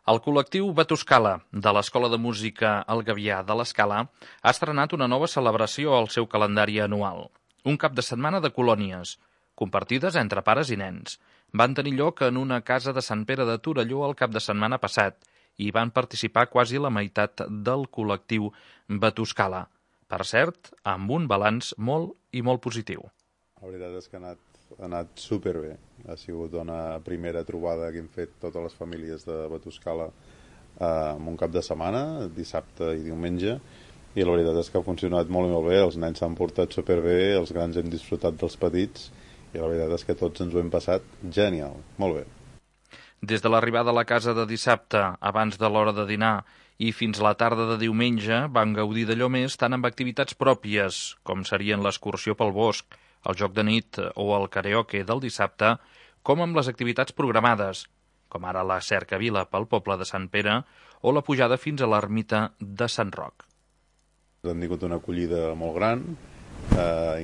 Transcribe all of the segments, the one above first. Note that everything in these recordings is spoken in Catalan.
El col·lectiu Batuscala de l'Escola de Música El Gavià de l'Escala ha estrenat una nova celebració al seu calendari anual. Un cap de setmana de colònies, compartides entre pares i nens. Van tenir lloc en una casa de Sant Pere de Torelló el cap de setmana passat i van participar quasi la meitat del col·lectiu Batuscala. Per cert, amb un balanç molt i molt positiu. La veritat és que ha anat superbé. Ha sigut una primera trobada que hem fet totes les famílies de Batuscala en un cap de setmana, dissabte i diumenge, i la veritat és que ha funcionat molt i molt bé. Els nens s'han portat superbé, els grans hem disfrutat dels petits, i la veritat és que tots ens ho hem passat genial, molt bé. Des de l'arribada a la casa de dissabte, abans de l'hora de dinar, i fins a la tarda de diumenge van gaudir d'allò més tant amb activitats pròpies, com serien l'excursió pel bosc, el joc de nit o el karaoke del dissabte, com amb les activitats programades, com ara la cercavila pel poble de Sant Pere o la pujada fins a l'ermita de Sant Roc. Han tingut una acollida molt gran,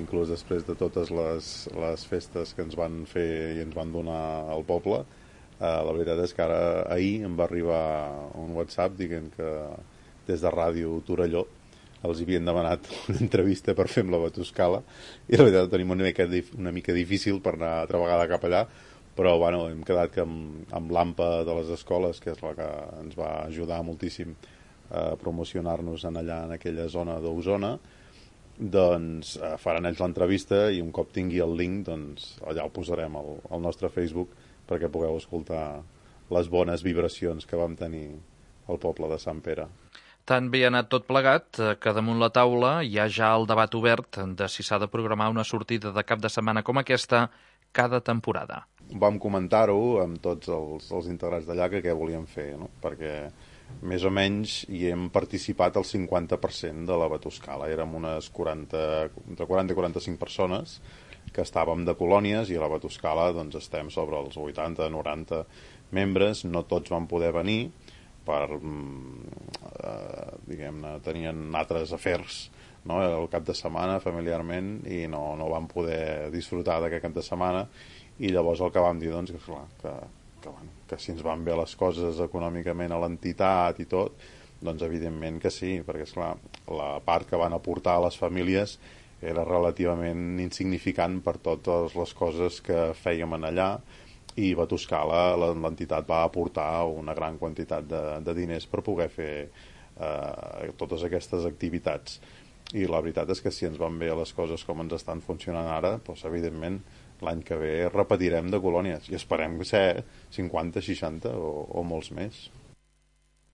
inclús després de totes les festes que ens van fer i ens van donar al poble. La veritat és que ahir em va arribar un WhatsApp dient que des de Ràdio Torelló els havien demanat una entrevista per fer amb la Batuscala, i la veritat tenim una mica difícil per anar altra vegada cap allà, però bueno, hem quedat que amb l'AMPA de les escoles, que és la que ens va ajudar moltíssim a promocionar-nos allà en aquella zona d'Osona, doncs faran ells l'entrevista, i un cop tingui el link, doncs allà el posarem al nostre Facebook perquè pugueu escoltar les bones vibracions que vam tenir al poble de Sant Pere. Tan bé ha anat tot plegat que damunt la taula hi ha ja el debat obert de si s'ha de programar una sortida de cap de setmana com aquesta cada temporada. Vam comentar-ho amb tots els integrants d'allà que què volíem fer, no? Perquè més o menys hi hem participat el 50% de la Batuscala. Érem unes entre 40 i 45 persones que estàvem de colònies, i a la Batuscala doncs estem sobre els 80-90 membres. No tots van poder venir per diguem-ne, tenien altres afers, no? El cap de setmana familiarment, i no van poder disfrutar d'aquest cap de setmana, i llavors el que vam dir doncs, que si ens van bé les coses econòmicament a l'entitat i tot, doncs evidentment que sí, perquè esclar, la part que van aportar a les famílies era relativament insignificant per totes les coses que fèiem en allà, i Batuscala, l'entitat, va aportar una gran quantitat de diners per poder fer totes aquestes activitats. I la veritat és que si ens van bé les coses com ens estan funcionant ara, doncs evidentment l'any que ve repetirem de colònies, i esperem ser 50, 60 o molts més.